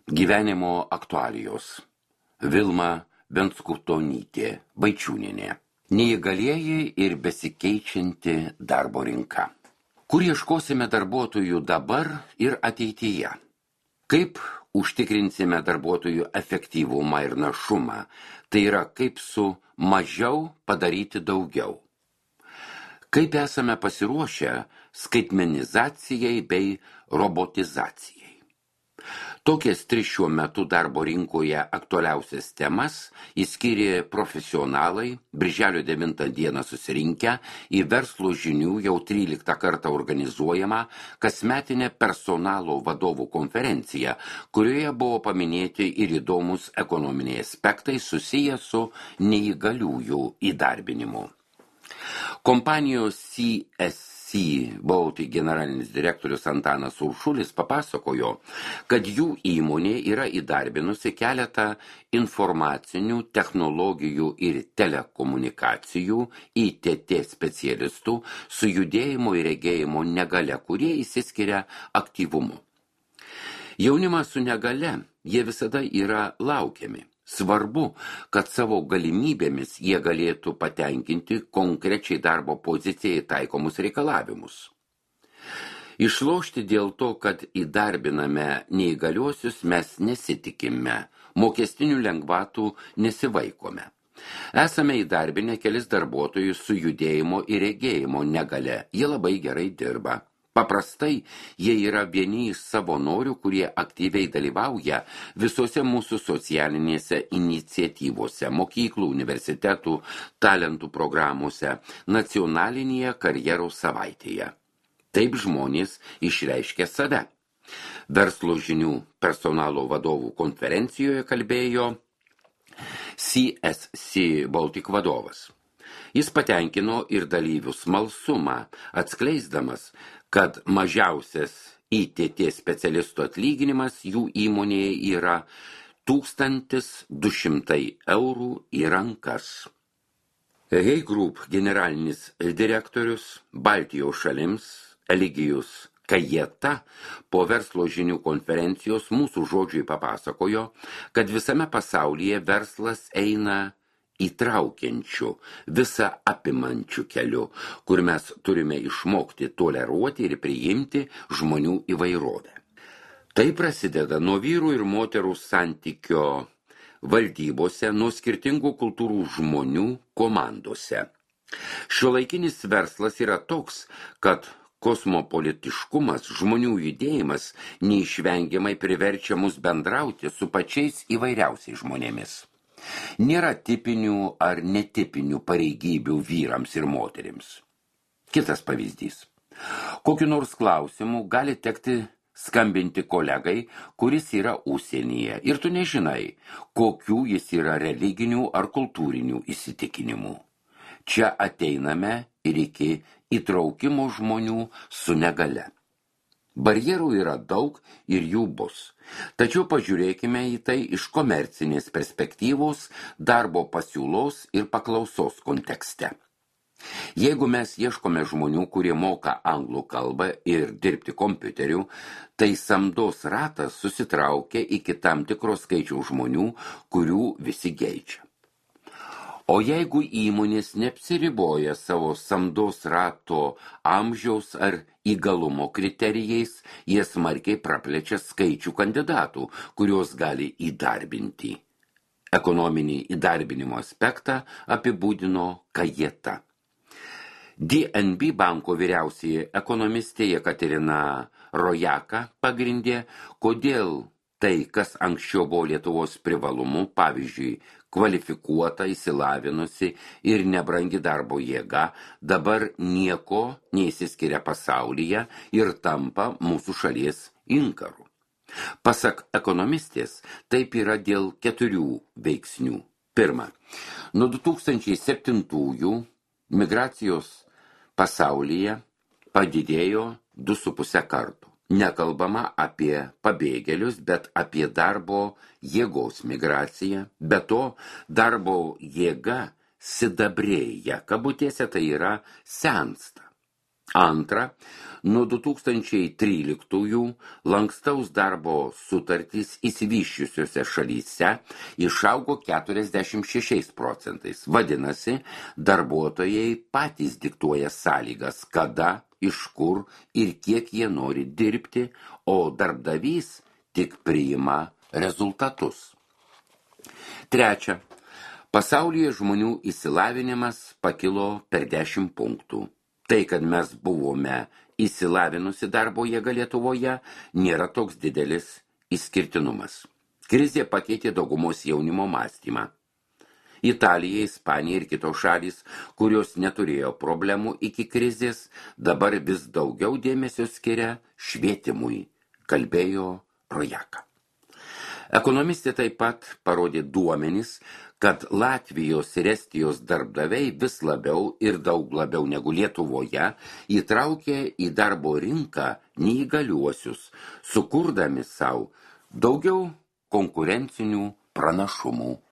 Gyvenimo aktualijos. Vilma Venskutonytė Vaičiūnienė. Neįgalieji ir besikeičianti darbo rinka. Kur ieškosime darbuotojų dabar ir ateityje? Kaip užtikrinsime darbuotojų efektyvumą ir našumą? Tai yra, kaip su mažiau padaryti daugiau. Kaip esame pasiruošę skaitmenizacijai bei robotizacijai. Tokias 3 šiuo metu darbo rinkoje aktualiausias temas įskyrė profesionalai birželio 9 dieną susirinkę į Verslo žinių jau 13 kartą organizuojamą kasmetinę personalo vadovų konferenciją, kurioje buvo paminėti ir įdomus ekonominiai aspektai susiję su neįgaliųjų įdarbinimu. Kompanijos CSC Baltic generalinis direktorius Antanas Uršulis papasakojo, kad jų įmonė yra įdarbinusi keletą informacinių technologijų ir telekomunikacijų ITT specialistų su judėjimo ir regėjimo negalia, kurie išsiskiria aktyvumu. Jaunimas su negalia, jie visada yra laukiami. Svarbu, kad savo galimybėmis jie galėtų patenkinti konkrečiai darbo pozicijai taikomus reikalavimus. Išlošti dėl to, kad įdarbiname neįgaliuosius, mes nesitikime, mokestinių lengvatų nesivaikome. Esame įdarbinę kelis darbuotojus su judėjimo ir regėjimo negale, jie labai gerai dirba. Paprastai jie yra vieni iš savanorių, kurie aktyviai dalyvauja visose mūsų socialinėse iniciatyvose, mokyklų, universitetų, talentų programuose, nacionalinėje karjeros savaitėje. Taip žmonės išreiškia save. Verslo žinių personalo vadovų konferencijoje kalbėjo CSC Baltic vadovas. Jis patenkino ir dalyvių smalsumą, atskleisdamas, kad mažiausias ITT specialistų atlyginimas jų įmonėje yra 1200 eurų į rankas. Hey Group generalinis direktorius Baltijos šalims Eligijus Kajeta po Verslo žinių konferencijos mūsų žodžiui papasakojo, kad visame pasaulyje verslas eina įtraukiančių, visą apimančių keliu, kur mes turime išmokti toleruoti ir priimti žmonių įvairovę. Tai prasideda nuo vyrų ir moterų santykio valdybose, nuo skirtingų kultūrų žmonių komandose. Šiuolaikinis verslas yra toks, kad kosmopolitiškumas, žmonių judėjimas neišvengiamai priverčia mus bendrauti su pačiais įvairiausiais žmonėmis. Nėra tipinių ar netipinių pareigybių vyrams ir moterims. Kitas pavyzdys. Kokiu nors klausimu gali tekti skambinti kolegai, kuris yra užsienyje, ir tu nežinai, kokių jis yra religinių ar kultūrinių įsitikinimų. Čia ateiname ir iki įtraukimo žmonių su negale. Barjerų yra daug ir jų bus. Tačiau pažiūrėkime į tai iš komercinės perspektyvos, darbo pasiūlos ir paklausos kontekste. Jeigu mes ieškome žmonių, kurie moka anglų kalbą ir dirbti kompiuteriu, tai samdos ratas susitraukia iki tam tikro skaičiaus žmonių, kurių visi geidžia. O jeigu įmonės neapsiriboja savo samdos rato amžiaus ar įgalumo kriterijais, jie smarkiai praplečia skaičių kandidatų, kuriuos gali įdarbinti. Ekonominį įdarbinimo aspektą apibūdino Kajeta. DNB banko vyriausioji ekonomistė Jekaterina Rojaka pagrindė, kodėl tai, kas anksčiau buvo Lietuvos privalumu, pavyzdžiui, kvalifikuota, išsilavinusi ir nebrangi darbo jėga, dabar nieko neįsiskiria pasaulyje ir tampa mūsų šalies inkaru. Pasak ekonomistės, taip yra dėl 4 veiksnių. Pirma, nuo 2007-ųjų migracijos pasaulyje padidėjo 2,5 kartų. Nekalbama apie pabėgėlius, bet apie darbo jėgos migraciją. Be to, darbo jėga sidabrėja, kabutėse tai yra sensta. Antra, Nuo 2013 lankstaus darbo sutartys išsivysčiusiose šalyse išaugo 46%. Vadinasi, darbuotojai patys diktuoja sąlygas, kada, iš kur ir kiek jie nori dirbti, o darbdavys tik priima rezultatus. Trečia. Pasaulyje žmonių išsilavinimas pakilo per 10 punktų. Tai, kad mes buvome išsilavinusi darbo jėga Lietuvoje, nėra toks didelis išskirtinumas. Krizė pakeitė daugumos jaunimo mąstymą. Italija, Ispanija ir kitos šalys, kurios neturėjo problemų iki krizės, dabar vis daugiau dėmesio skiria švietimui, kalbėjo Rojaka. Ekonomistė taip pat parodė duomenis, kad Latvijos ir Estijos darbdaviai vis labiau ir daug labiau negu Lietuvoje įtraukė į darbo rinką neįgaliuosius, sukurdami savo daugiau konkurencinių pranašumų.